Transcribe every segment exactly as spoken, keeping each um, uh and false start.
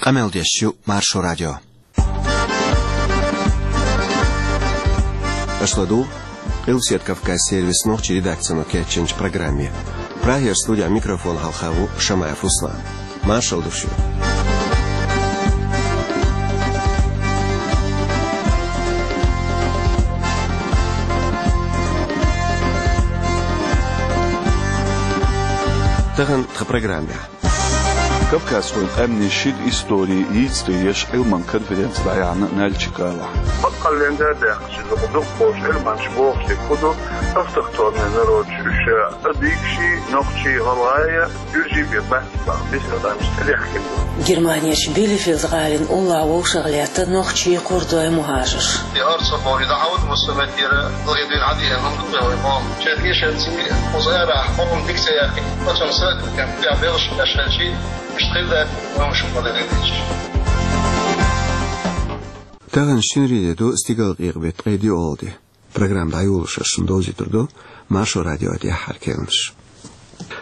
Къамел деш ю Маршо радио. Аша ладугӀу Къилбаседа Кавказан сервисан нохчийн редакцино кечйинчу программе. Прагера студехь микрофон хьалха ву Шамаев Руслан. Маршалла ду шуьга. Тахана тхан программехь. Кавказхойн къаьмнийн шира истори йийцаре еш Ӏилманан конференци дӀаяьхьна Нальчик-гӀалахь. Баккъалла лен даьхкича, иза дукхахболчу Ӏилманчаша бохуш дерг хӀун ду, автохтонный народаш уьш а дийгаш, нохчий, гӀалгӀай, гуьржий бен бац боху, бисер адамаш тӀедехкина ду. Германерчу Билефельд-гӀалин уллохь вовшах лаьтта нохчий, кхурдой, мухӀажарш. И хӀара ца боху, и дӀахьуд муссаметтера, лагӀе дуьйна хьан дийхьа хӀума ду вай боху. Шайн эшарций, кхузара хӀума дика ца яьккхина, оцунна сатукхем тӀехь белхаш беш хилчий, Иштта хир дац, вовшах ма дан хилча. Тахана шинарин де ду, стигалкъекъа беттан ткъе диъалгӀа де. Программа дӀайолош шуна довзуьйтур ду Маршо радион тӀаьххьара керланаш.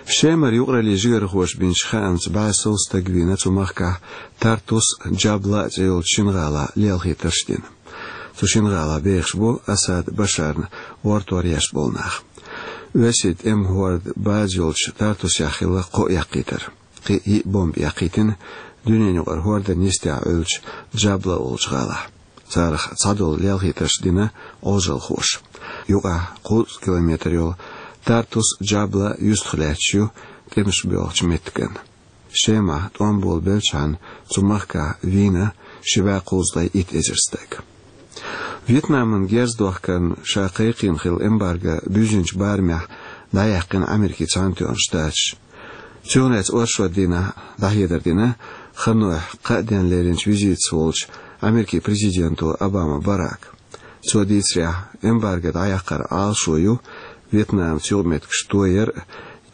Шемара юкъараллин жигархоша бинчу хаамца бӀе сов стаг вийна цу махкахь Тартус, Джабла цӀе йолчу шина гӀалахь лелхийтарш а дина. Цу шина гӀалахь бехаш бу Асад Башарна гӀортор еш болу нах. Оьрсийн тӀеман хӀордан база йолчу Тартусехь хилла кхоъ яккхийтар. Кхин йиъ бомба яккхийтина дуьненаюкъара хӀордан йистехь Ӏуьллучу Джабла олучу гӀалахь. Царах цхьадолу лелхийтарш дина Ӏожалхоша. Юкъахь кхузткъа километр йолу Тартус, Джабла юьстах лаьтташ ю тӀемаш боьлхучу меттиган. Шемахь тӀом болабелчхьана цу махкахь вийна ши бӀе кхузткъе итт эзар стаг. Вьетнаман герз дохкарна ша кхайкхийна хилла эмбарго буьззинчу барамехь дӀаяьккхина Америкин Цхьаьнатоьхна Штаташ. Цунах лаьцна оршот дийнахь дӀахьедар дина ханойх кхаа денна леринчу визитаца волчу Америкин президенто Обама Барака. Цо дийцарехь, эмбарго дӀаяккхаран Ӏалашо ю Вьетнамца юкъаметтигаш тояр а,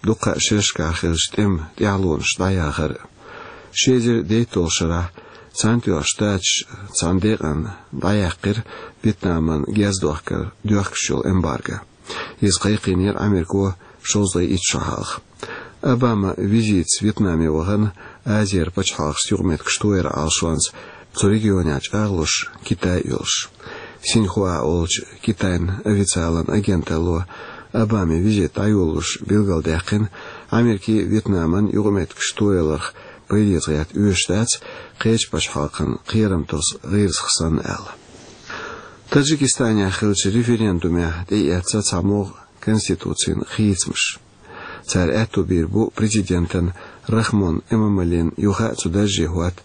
дуккха а шерашкахь хиллачу тӀеман тӀаьхьалонаш дӀаяхар а. Ши эзар дейтталгӀачу шарахь Цхьаьнатоьхна Штаташ цхьана декъана дӀаяьккхира Вьетнаман герз дохкар доьхкуш йолу эмбарго. Иза кхайкхийнера Америко шовзткъе итт шо хьалха. Обама визитаца Вьетнаме вахана Азера пачхьалкхашца юкъаметтигаш тояран Ӏалашонца цу регионехь чӀагӀлуш Китай а йолуш. Синьхуа олучу Китайн официалан агенталло Обамин визит дӀайолалуш билгалдаьккхина, Америкин а, Вьетнаман а юкъаметтигаш тояларх пайдехь гӀерта оьшуш дац, кхечу пачхьалкхан кхерам тосу гӀирсах санна аьлла. Таджикистанехь хиллачу референдумехь тӀеэцна цхьамогӀа конституцин хийцамаш. Цара аьтто бийр бу президентан Рахмон Эмомалин юха а цу дарже хӀотта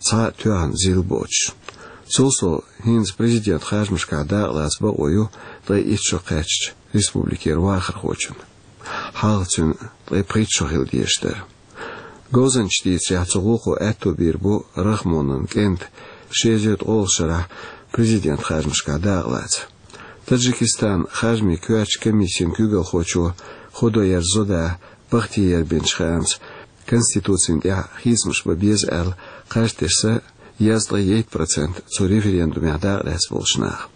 цхьа а тоьхна зил боцуш. Цул сов, хӀинца президентан харжамашкахь дакъалаца бакъо ю ткъе итт шо кхаьчначу республикера вахархочун. Хьалха цуьнан ткъе пхийтта шо хила дезаш дара. Говзанчаша дийцарехь, цу гӀуллакхо аьтто бийр бу Рахмонан кӀентан ши эзар ткъолгӀачу шарахь президентан харжамашкахь дакъалаца. Таджикистанан харжамийн коьртачу комиссин куьйгалхочо Худоярзода Бахтиера бинчу хаамца, конституцина тӀехь хийцамаш бан беза аьлла кхаж тесна дезткъе итт процент цу референдумехь дакъалаьцна болчу наха.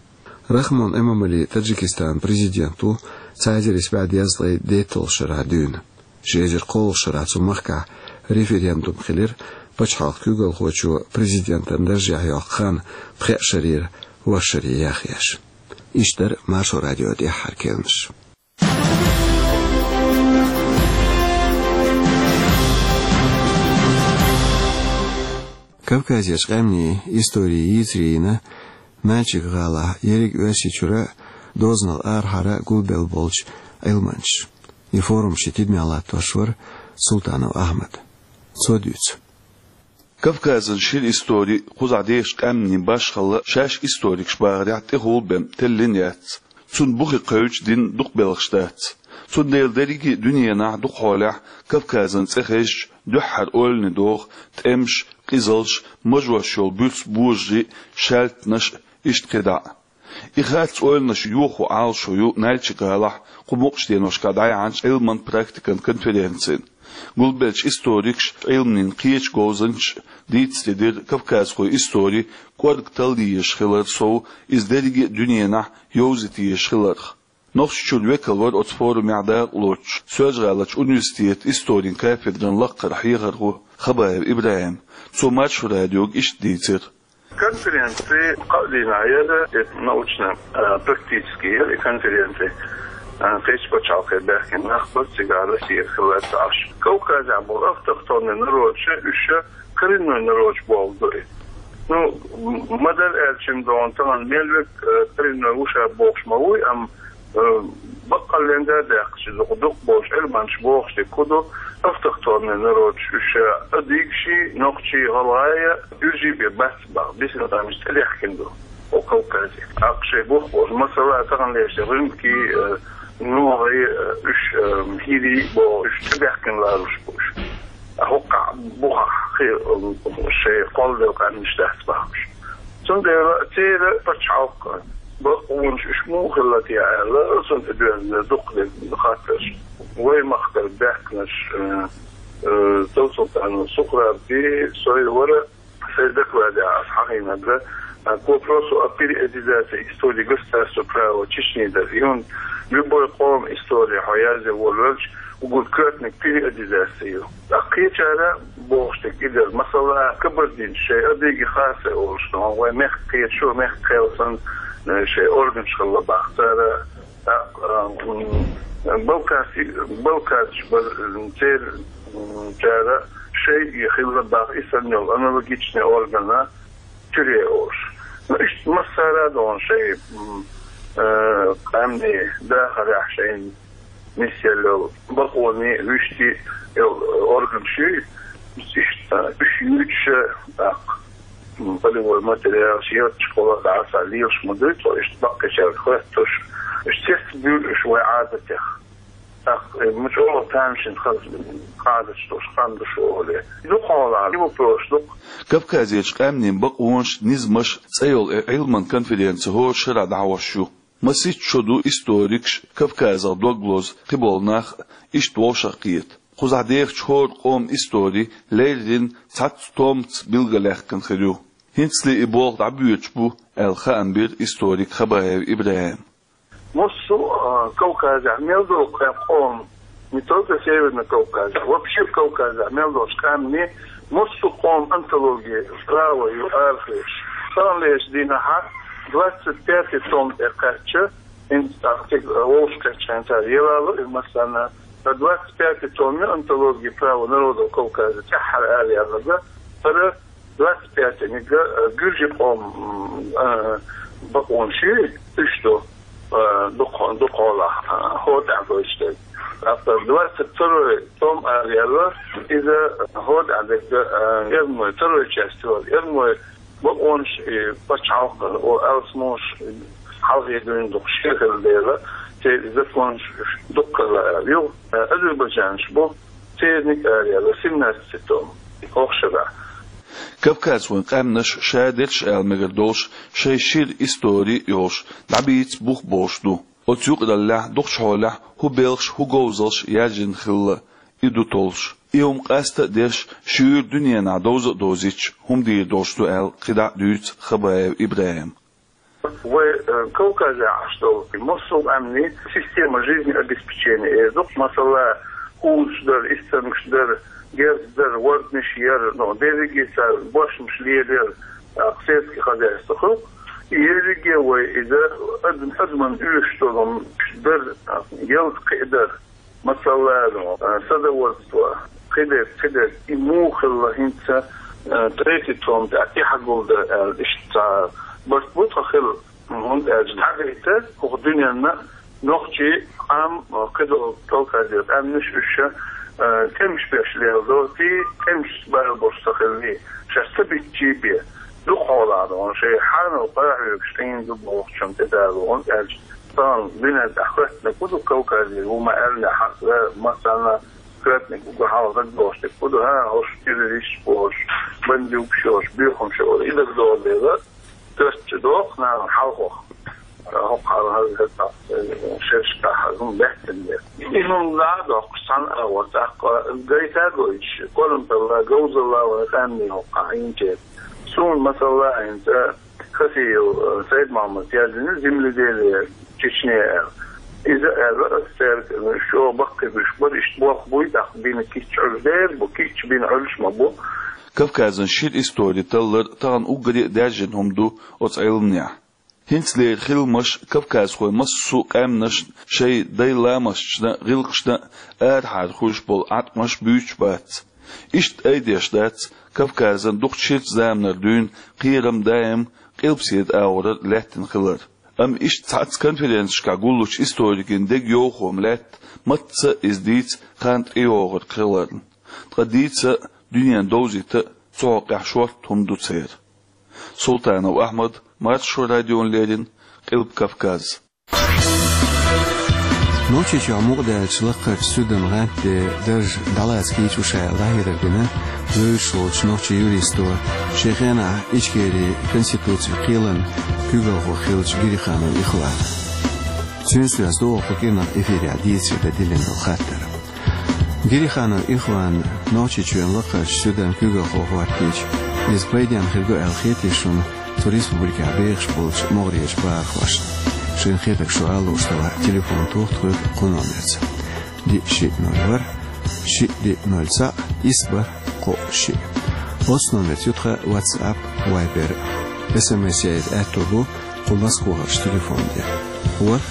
Рахмон Эмомали Таджикистанан президент ву цхьа эзар исс бӀе дезткъе дейтталгӀачу шарахь дуьйна. Ши эзар кхоалгӀачу шарахь цу махкахь референдум хилира, пачхьалкхан куьйгалхочо президентан даржехь йоккху хан пхеа шарера ворхӀ шаре яхъеш. Иштта дара Маршо радион тӀаьххьара керланаш. Кавказерчу къаьмнийн истори йийцаре йина Нальчик-гӀалахь ерриг Оьрсийчуьра, дозанал арахьара гулбелла болчу Ӏилманчаш. И форум шен тидамехь латтош вара Султанов Ахьмад. Цо дуьйцу. Кавказан шира истори, кхузахь дехачу къаьмнийн башхалла шаьш историкаша бахарехь тӀехула бен теллина яц. Цунна бухе кхевдаш дина дукха белхаш дац. Цундела дерриге а дуьненахь дукха хьолехь Кавказан цӀе хезча дуьххьара ойлане догӀу тӀемаш, къизалш, мажош йолу буьрса божарий, шаьлтанаш, иштта кхидӀа а. И харц ойланаш йохо Ӏалашо ю Нальчик-гӀалахь кху мукъачу деношкахь дӀаяьхьначу Ӏилман практикан конференцин. Гулбеллачу историкаша, Ӏилманийн кхечу говзанчаша дийцаре дира кавказхойн истори кӀорга талла езаш хилар сов, иза дерриге а дуьненахь йовзийта езаш хиларх. Нохчийчоьнан векал вара оцу форумехь дакъалоцуш Соьлжа-ГӀаларчу университетан историн кафедран лаккхара хьехархо Хабаев ИбрахӀим. Цо Маршо радиога иштта дийцира. Конференци кхаа дийнахь яра, это научно-практический яра и конференци. А, кхечу пачхьалкхе баьхкина нах бара, цигахь Россия хилла ца Ӏаш. Кавказехь болу автохтонный народаш, уьш коренной народаш бохург ду и. Ну, м-, ма-дарра аьлча, догӀун тахана мел верг, э, коренной ву ша бохуш ма вуй, амма, э, баккъалла а даьккхича, дукха дукха болчу Ӏилманчаша бохуш дерг хӀун ду, автохтонный народаш уьш, э, адыгаш а, нохчий а, гӀалгӀай а, уьш а бен бац боху, бисина къаьмнаш тӀедаьхкина ду оцу Кавказе. ТӀаккха шайн бух болчу, масала, тахана лерча гӀуьнкий, э, нохий, э, уьш, э, хӀирий боху, уьш тӀебаьхкина лоруш бу уьш. ХӀокху бухахь кхин, э, шайн кхолладелла къаьмнаш дац бохуш. Цундела церан пачхьалкх, бакъонаш уьш муха хилла те аьлла, цунна тӀедоьжна дукха дерг хаттарш. Вайн махкара баьхкинарш, э, э, Товсултанов Сухраб, со вара, сайн докладехь аса хьахийнарг, а, к вопросу о периодизации истории государства правового Чечни дара. И хӀунда любой къоман истори хьо язъян волавелча, уггар коьртаниг периодизация ю. Ткъа кхечара бохуш дерг и дара. Масала, кабардинцаша шайн адыги, харсой олуш, ну, вайн мехкан кхеташо, мехкан кхел санна, э, шайн органаш хилла боху цара. ТӀаккха, м, балкхарш, балкхарш бара, м, церан, м, чара шайн и хилла боху и санна йолу аналогичный орган Тюре олуш. Ну, иштта массара а догӀун шайн, м, э, къаьмнийн дахарехь шайна нисъелла йолу бакъонийн, вуьшта йолу органаш ю, иштта уьш юьйцуш а, тӀаккха, м, полевой материалаш, ярташкахула дӀа а ца лелаш ма дуй цо, иштта баккхийчаьрга хоьттуш, уьш цецбуьйлу уьш вайн Ӏадатех. ТӀаккха, э, ма чӀогӀа тамашийна хаза Ӏадаташ долуш хан ду шу олий. Дукха хьолахь, и вопросаш дукха. Кавказерчу къаьмнийн бакъонаш, низамаш цӀе йолу и Ӏилман конференци хӀора шарахь дӀахьош ю. Масийтта шо ду историкаш, Кавказах дог лозу кхиболу нах, иштта вовшахкхета. Кхузахь дехачу хӀора къоман истори леррина цхьацца томца билгалъяьккхина хир ю. ХӀинцале и болх дӀабоьдуш бу, аьлла, хаам бира историк Хабаев ИбрахӀима. Массо а, Кавказехь мел долу кхаьн къоман, не только Северный Кавказ, вообще Кавказехь мел долчу къаьмнийн массо а къоман антология права ю арахоьцуш. Тахана лерчу дийнахь двадцать пятый том тӀе кхаьчча, хӀинца тӀаккха цига вовшахкхетча хьайна цара елало и массарна. Ткъа двадцать пятый том ю антология права народов Кавказа тӀаьххьара ара яьлларг, хӀара двадцать пятый-ниг, э, гуьржийн къоман, э, бакъонаш ю, уьш ду, э, дукха-, дукхахьолахь, э, хӀора тӀехь гойтуш дерг. ТӀаккха двадцать второй том ара яьлла, иза хӀора тӀехь дерг, э, эрмой, второй часть вара, эрмой бакъонаш и пачхьалкх, о, алсамонаш хьалхе дуьйна дукха шен хилла дела, церан законаш дукха хилла ара. Юха, э, азербайджанаш бу, церниг ара яьлла семнадцатый том, хӀокху шарахь. Кавказ вайн къаьмнаш шадерш аьлла мегар долуш, шайн шира истори а йолуш, дӀабийца бух болуш ду. Оцу юкъараллехь дукхачу хьолехь хӀун белхаш, хӀун говзалш яьржина хилла, и ду толлуш. И хӀума къаста а дерш, шуьйра дуьненахь довза а довзуьйтуш, хӀума дийр долуш ду аьлла, кхидӀа а дуьйцу Хабаев ИбрахӀима. Вай, э, Кавказехь Ӏаш долу массо а къаьмнийн система жизнеобеспечения эр ду. Масала, хӀусамаш дара, истамгаш дара, герз дара, ворданаш яра, но дерриге цара бошмаш лелаяра, а, сельский хозяйство хуьлу. И ерриге вай иза адам-, адаман оьшуш долу дара, а, ялта кхиа дара. Масала, ну, э, садоводство, кхидерг, кхидерг, и муха хилла хӀинца, э, третий том тӀехь тӀаьхьа гулдар аьлла, иштта цхьа барт бу тхан хилла, хӀунда аьлча дӀагайта хӀокху дуьненна нохчий, къам, э, кхидолу Кавказера къаьмнаш уьш, э, тӀемаш беш леладо, ти тӀемаш бала болуш ца хилли, шаьш ца биттий бен, дукха хьолахь догӀун, шайн хьанал къахьоьгуш къийна ду бохучунна тӀедало, хӀунда аьлча тахана дуьненна тӀехь хоьттинарг хӀун ду Кавказе, ву ма аьллинехь, хьан, массарна хоьттинарг уггар хьалха дагадогӀуш дерг хӀун ду, хӀан, хӀорш террористаш бохуш, бандюгаш йолуш, боьхамаш йолуш, и дагадогӀу дела, коьртачу доху нахана хьалхох. ХӀокху хьалха хӀара, хӀара, шерашкахь хӀара хӀума баьхкина дела. И хӀума дӀа а доккхуш, цхьана агӀор тӀаккха гайта а гойтуш, корамталла, говзалла вайн къаьмнийн хӀокху хьайна чӀе. Суна, масала, хӀинца Хасиев, э, Сайд-Мохьмада яздина «Земледелие Чечни» аьлла. Иза аьлла ас цаьрга, шо баккхийбеш бара, иштта болх буй, тӀаккха бина кийча Ӏуьллуш дер бу, кийча бина Ӏуьллуш ма бу. Кавказан шира истори таллар тахана уггаре а даьржина хӀума ду оцу Ӏилманехь. ХӀинцалера хиламаш кавказхойн массо а къаьмнашна шайн дай ламасташна, гӀиллакхашна арахьара хуьлуш болу Ӏаткъамаш буьйцуш бац. Иштта айдеш дац Кавказан дукха ширачу заманара дуьйна кхерам даим къилбаседа агӀорара лаьттина хилар. Амма иштта цхьацца конференцешкахь гуллучу историкийн дегайовхо-м лаьтта, мацца а иза дийца хан тӀейогӀург хиларна. Ткъа дийца а, дуьненан довзийта а цу хьокъехь шортта хӀума ду церан. Султанов Ахьмад, Маршо радиона леррина, Къилба Кавказ. Нохчийчохь мукъадаьллачу лакхарчу суьдан гӀантде дарж дӀалаца кийча шу аьлла дӀахьедар дина вевзаш волчу нохчийн юристо, шен хенахь Ичкерин конституцин кхелан куьйгалхо хиллачу Гириханов Ихвана. Цуьнца доьзна ду оха кху кӀиранах эфирехь дийцаре дан диллина долу хаттар. Гириханов Ихван Нохчийчоьнан лакхарчу суьдан куьйгалхо хӀоттийча, иза пайденна хир ду аьлла хетий шуна цу республикехь бехаш болчу могӀарерчу бахархошна? Шайна хетарг шу ала лууш делахь, телефон тоха тхоьга кху номерца: диъ шиъ ноль ворхӀ, шиъ диъ ноль цхьаъ, исс бархӀ кхоъ шиъ. Оцу номерца ю тхан WhatsApp, Viber. СМС яийта аьтто бу кху Москвахарчу телефон тӀе: ворхӀ,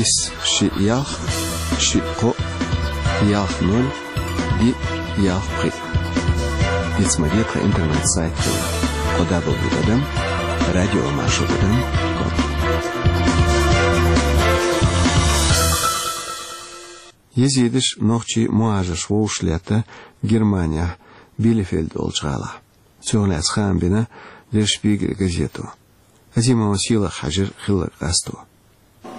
исс, шиъ, ялх, шиъ, кхоъ, ялх, ноль, диъ, ялх, пхиъ. Ица ма де тхан интернет-сайт хилла: кхо дабл-ю тӀадам радио маршо тӀадам ком. Езидаш нохчийн мухӀажарш вовшах летта Германехь Билефельд олучу гӀалахь. Цунах лаьцна хаам бина Der Spiegel газето. Азимова Сийлаха хьаьжира хилларг къасто.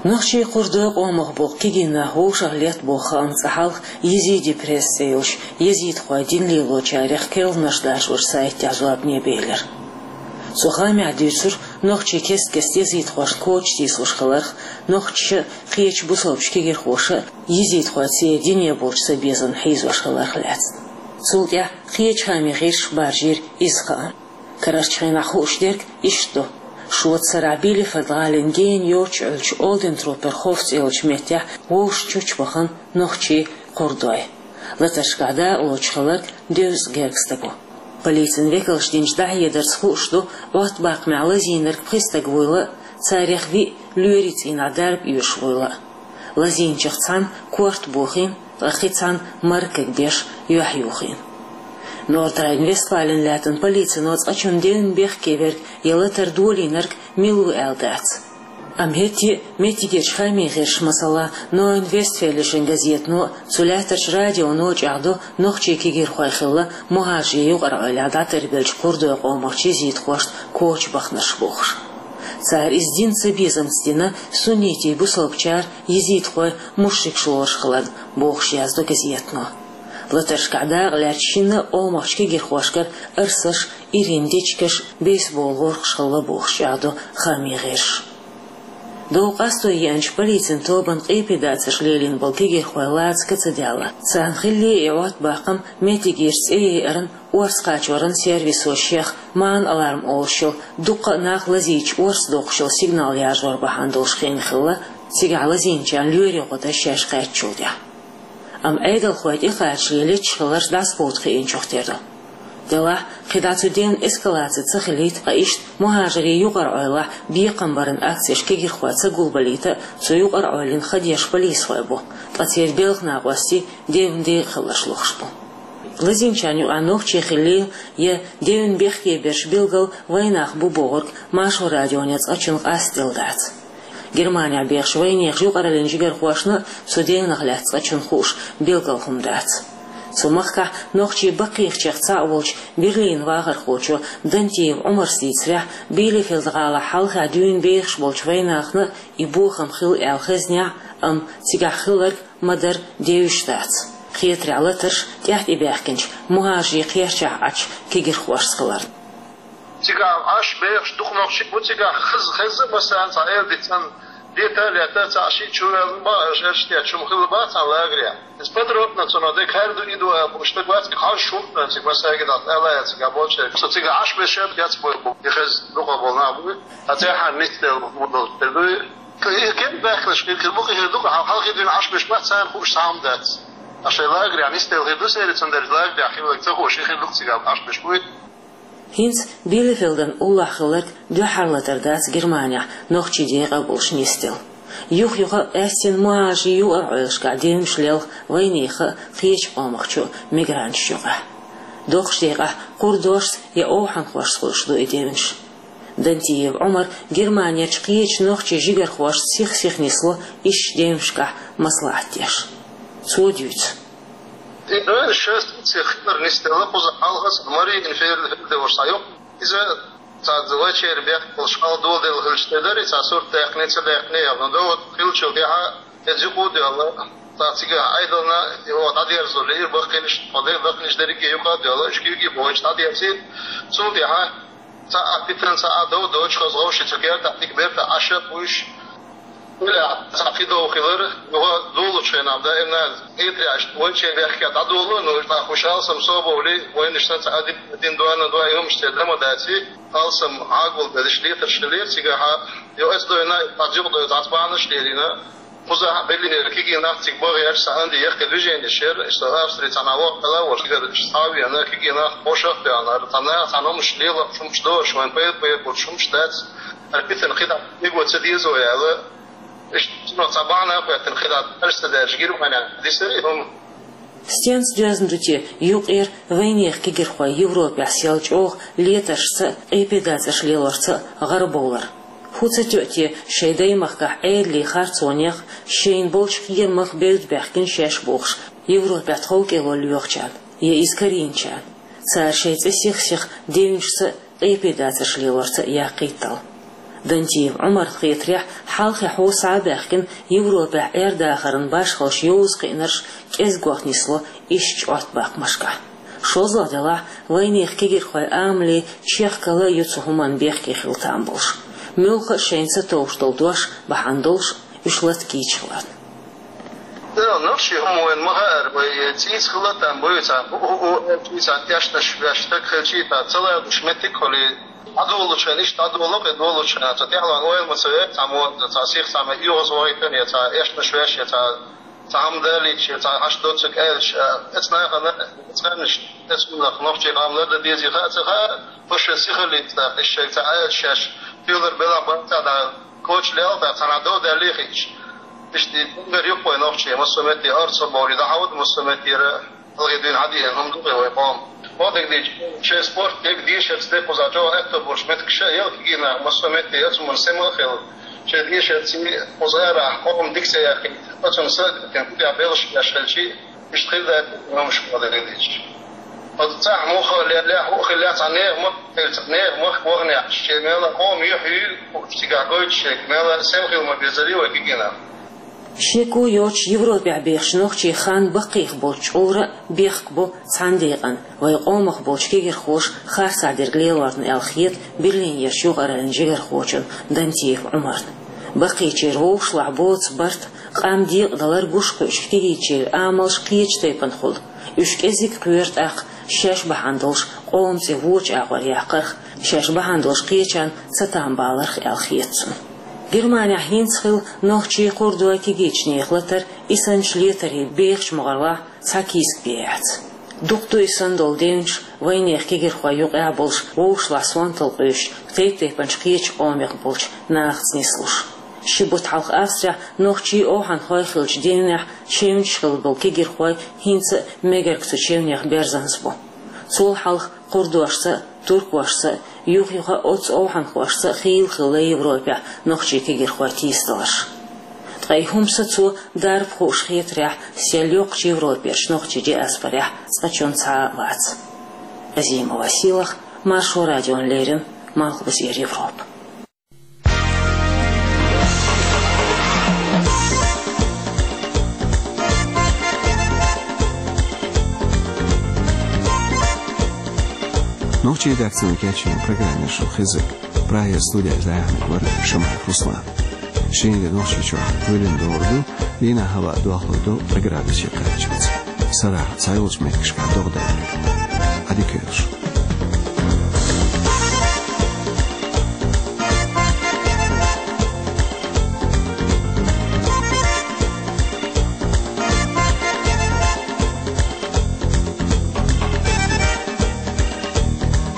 Нохчийн кхурдой къомах болу кегий нах вовшах летта боху хаам цкъа хьалха Езиди пресс цӀе йолчу езидхойн дин лелочарех керланаш дашочу сайтехь зорбане белира. Цу хаамехь дуьйцура нохчий кест-кеста езидхошна коча тийсалуш хиларх, нохчаша а, кхечу бусалбачу кегирхоша а езидхой церан дине болчу цабезамна хьийзош хиларх лаьцна. Цул тӀаьхьа кхечу хаамийн гӀирсаша баржийра иза хаам. Карарчу хенахь хууш дерг иштта ду: шоца сарахь Билефельд-гӀалин гена йоццуш Ӏуьллучу Олдентруппер хофф цӀе йолчу меттехь вовшах чучбахана нохчийн кхурдой. Латаршкахь дакъалоцуш хилларг девза гергга стаг ву. Полицин векалша динчу дӀахьедарца хууш ду, Ӏоттабаккхамехь лазийнарг пхи стаг вуйла а, царех виъ лоьрийн цӀийнахь дарба оьшуш вуйла а. Лазийначех цхьанна корта бохийна, ткъа кхин цхьанна маркаг беш юьхь юхийна. Нордрайн-Вестфален лаьттан полицино цкъачунна девнан бехке верг я латар долийнарг мила ву аьлла дац. Амма хӀетте а меттигерчу хаамийн гӀирсаша, масала, Нойн Вестфелишен газетано а, цу лаьттарчу радионо а чӀагӀдо нохчийн кегирхой хилла мухӀажарийн юкъараллехь дӀатарбеллачу кхурдой къомах езидхошна коча баханарш бохуш. Цара иза динан цабезамца дина, суннитийн бусалбачара езидхой мушрикаш лоруш хиларна, бохуш яздо газетано. Латаршкахь дакъа лаьцначу шинна а къомахчу кегирхошкара арсаш, ирина дечигаш, бейсбол гӀоркаш хилла бохуш чӀагӀдо хаамийн гӀирсаша. Дов къасто еанчу полицин тобанна къепедацарш лелийна болу кегирхой лаца ка ца даьлла. Царна хиллий и Ӏоттабаккхам меттигерчу цӀе яйаран, орца кхачоран сервисо шех Маан-аларм олуш йолу, дуккха а нах лазийча орца доккхуш йолу сигнал яржор бахьана долуш хиъна хилла, цигахь лазийначарна лоьрийн гӀо дан шаьш кхаьчначул тӀаьхьа. Амма Ӏедалхой тӀекхачале леташ хилларш дӀасакховда хиъначух тера ду. Делахь, кхидӀа цу девнан эскалаци ца хилийта, ткъа иштта мухӀажарийн юкъараллехь бекхам баран акцеш кегирхой ца гулбалийта а, цу юкъараллин хадеш полисхой бу, ткъа церан белхан накъостий девнан декъа хилларш лохуш бу. Лазийначарна юкъахь нохчий хиллийла я девнан бехке берш билггал вайнах бу бохург Маршо радионе цкъачунна къастаделла дац. Германехь бехачу вайнехан юкъараллин жигархошна а цу девнах лаьцна цкъачунна хууш билггал хӀума дац. Цу махкахь нохчийн баккхийчех цхьаъ волчу Берлинан вахархочо Дантиев Ӏумарс дийцарехь, Билефельд-гӀалахь хьалхахь дуьйна бехаш болчу вайнахана а и бохам хилла аьлла хезнехь а, амма цигахь хилларг ма-дарра девзаш дац. Кхетарехь, латарш тӀаьхьа тӀебаьхкинчу мухӀажарийн кхерчахь Ӏачу кегирхошца хиларна. Цигахь Ӏаш бехаш дукха нохчий бу, цигахь хаза хезна а, массарна цхьа эладита цӀанна лета а летта, цхьаъ шиъ чу ваьлла ма, шераш тӀе чу хилла бац цхьана лагерехь. Иза подробно цунах дерг хӀара ду, и ду аьлла бу, уьш дагвац, хьалш хӀуттан цига массаьрга дӀа аьлла яц цигахь болчерг. Со цигахь Ӏаш беш яц бой бу, и хезна дукха болу нах бу. Ткъа цӀеххьана нисделла муха долуш тера ду и? Кхы-, кхы баьхкалаш хир, хир бу, кхы хир ду, хьал-, хьалхе дуьйна Ӏаш беш бац, царна хууш цхьа хӀума дац. Аш шайн лагерехь нисделла хир ду, сери цундела лагерехь хилларг ца хууш, хир ду-кх цигахь Ӏаш беш буй. ХӀинца Билефельден уллохь хилларг дуьххьарлатар дац Германехь нохчий декъа а болуш нисделла. Юх-юха а, аьстина мухӀажарийн юкъараллашкахь девнаш лелха вайнехан а, кхечу къомах чу а мигранташ юкъахь. Доккхачу декъехь кхурдошца я овхӀанхошца хуьлуш ду и девнаш. Дантиев Ӏумар Германерчу кхечу нохчийн жигархошца сих-сиха нисло ишттачу девнашкахь маслаӀат деш. Цо дуьйцу. И девнаш шаьш сих хилар нисделла, кхуза хьалха а Мариенфельд волуш цхьа юкъ. Иза цхьа вайчеран бехк болуш хьалха доладелла хилча тера дара, и цхьа сурт даьккхина, ца даьккхина а яхна, догӀа хиллачул тӀаьхьа иза юкъа а доьлла, цхьа цигахь Ӏедална юха дӀадерзо лиира баккхийнаш, тхо дерг баккхийнаш дерриге а юкъа а доьлла, уьш куьйге а бохуьйтуш дӀадерзийра. Цул тӀаьхьа цхьа а питана, цхьа а дов доцуш хаза вовшийн цу кертахь дика бертахь Ӏаш а буьйш, уьллехь цхьа кхин дов хилар, юха долучу хенахь даимна хетарехь вайчеран бехке дӀадоло, ну, тӀаккха уьш алсам собовлий, вайнашна цхьа а дин, дин доана, доа хӀумаш церан ма даций, алсам Ӏагул безаш летарш хилира цигахь, йо, эцдойна, цхьа юкъадойла, цхьацца бахьанаш лелийна. Кхузахь Берлинера кегий нах цига бахьаш, цхьа Анди яккхий движенеш яра, иштта Австри цхьана воккхала волуш, цигара схьа а веана, кегий нах бошах а тоьхнара, цхьа наха цхьана хӀумаш лело, хӀумаш дохуш, вайн пайда-пайда болуш хӀумаш дац, ара питана кхидӀа миго ца дезо аьлла, иштта цунах цхьа бахьана а хӀоьттина, кхидӀа аьрса ца даьржа гира вайна дисира и хӀума. Стенца доьзна ду те, юкъера вайнехан кегирхой Европехь сел чӀогӀа летаршца а, къепедацарш лелорца а гӀарабовлар? ХӀун ца тоьа те шайн даймахкахь Ӏедалийн харцонех, шайна болчу кхерамах бевдда баьхкина шаьш бохуш, Европехь тховкӀело лоьхучарна, я иза карийначарна? Цара шайн цӀе сих-сиха девнашца а, къепедацарш лелорца а яккхийта дала. Дантиев Ӏумарна хетарехь, хьалхе хьо схьа а баьхкина, Европехь Ӏер-дахаран башхаллаш йовза кхиънарш кӀезгох нисло ишттачу Ӏоттабаккхамашкахь. ШозлагӀа делахь, вайнехан кегирхойн амале чехкалла а ю цу хӀуманна бехке хила там болуш. Муьлхха а шайна ца товш долу дош бахьана долуш, уьш лата кийча хиларна. Да, нохчий хӀума вайна ма хаьара, вай цӀийца хила там буй, цхьа у, у, у, цхьа тешнаш веш стаг хилчий, цхьа ца ладуш меттиг а хуьлий, дӀадолучу хенахь, иштта дӀадолу, кхин долучу хенахь, цхьа тӀаьхьалан ойла ма ца ве, цхьа мо, цхьа сих, цхьа ма оьгӀаз вахийтина, я цхьа эшнаш веш, я цхьа, цхьа хӀума далийча, я цхьа хьаш доцург аьлча, эцу нахана, эцу ханнаш, эцу хӀуманах нохчийн къам лардан дезий хаа ца хаа, тхо шайн сихаллица, иштта шайга ца аьлча шаьш, туьйлар белахь бан ца дӀа, коча лелха, цхьана дов даьллий хиъча. Иштта и гунгар юккъой нохчий, массо а метте орца бовлий, дӀахьовда массо а меттера, хьалхе дуьйна хьадеана хӀума ду-кх вай къоман. Ма дагадийча, шайн спорт дерг дешарца декхуза чӀогӀа аьтто болуш меттигаш а яла кегий нах, массо а метте яц хӀуманна сема а хилла. Шайн дешарца кхуза арахь къоман дика ца яьккхийта, оцунна са а дитина, кхидӀа белхаш беш хилчий, иштта хир дац хӀуманаш ма дагадийча. Оцу цхьа муха а леллехь, хӀуъа хиллехь, цхьа нехан махка хилча, цхьа нехан махка ваханехь, шен мел а къоман юьхь юй, цигахь гойтуш шега, мел а сема хила ма безарий вай кегий нах. Шеко йоцуш Европехь бехачу нохчийн хан баккхийх болчу чкъурра а бехк бо цхьана декъана, вайн къомах болчу кегирхоша харцахь дерг лелорна аьлла хета Берлинерчу юкъараллин жигархочунна Дантиев Ӏумарна. Баккхийчеран вовшашлахь боцу барт, къам декъадалар гуш кхуьучу кегийчеран амалш кхечу тайпана хуьлу. Уьш кӀезиг кхоьру тӀаккха шаьш бахьана долуш къоман цӀе вочу агӀор яккхарх, шаьш бахьана долуш кхечарна цатам баларх аьлла хета цунна. Германехь хӀинца хилла нохчийн, кхурдойн, кегийчу нехан латар, и санначу летарийн бехачу могӀарлахь цхьа кийсак бен яц. Дукха ду и санна долу девнаш вайнехан кегирхойн юкъахь болуш, вовшашлахь сонталла къуьйсуш, тайп-тайпанчу кхечу къомех болчу нахаца нислуш. Ши бутт хьалха Австрехь нохчийн овхӀанхой хиллачу девнехь чевнаш хилла болу кегирхой хӀинца а мегарг цу чевнех берзанза бу. Цул хьалха кхурдошца а, туркошца а, юха-юха оццу овхӀанхошца а хийла хилла Европехь нохчийн кегирхой тийсадаларш. Ткъа и хӀума сацо дарба хууш хетарехь, сел йоккхачу Европерчу нохчийн диаспорехь цкъачунна цхьа а вац. Азимова Силах, Маршо радиона леррина, Малхбузера Европа. Нохчийн редакцино кечйина программа шу хезира. Прагера студера иза яьхьнарг вара Шамаев Руслан. Шена де Нохчийчохь кхоьлина догӀур ду, дийнахь хӀаваъ дохлур ду ткъа градусе кхаччалц. Сарахь цхьайолчу меттигашкахь догӀа даьлларг. Ӏадика йойла шун.